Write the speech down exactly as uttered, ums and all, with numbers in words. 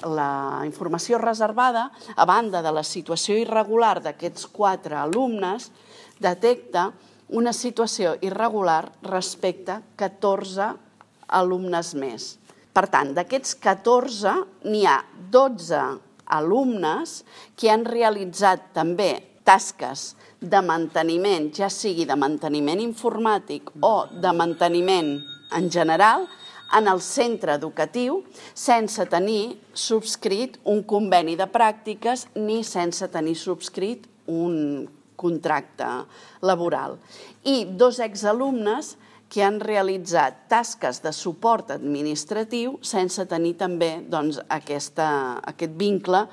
La informació reservada, a banda de la situació irregular d'aquests quatre alumnes, detecta una situació irregular respecte a catorze alumnes més. Per tant, d'aquests catorze, n'hi ha dotze alumnes que han realitzat també tasques de manteniment, ja sigui de manteniment informàtic o de manteniment en general, en el centre educatiu, sense tenir subscrit un conveni de pràctiques ni sense tenir subscrit un contracte laboral. I dos exalumnes que han realitzat tasques de suport administratiu sense tenir també aquest vincle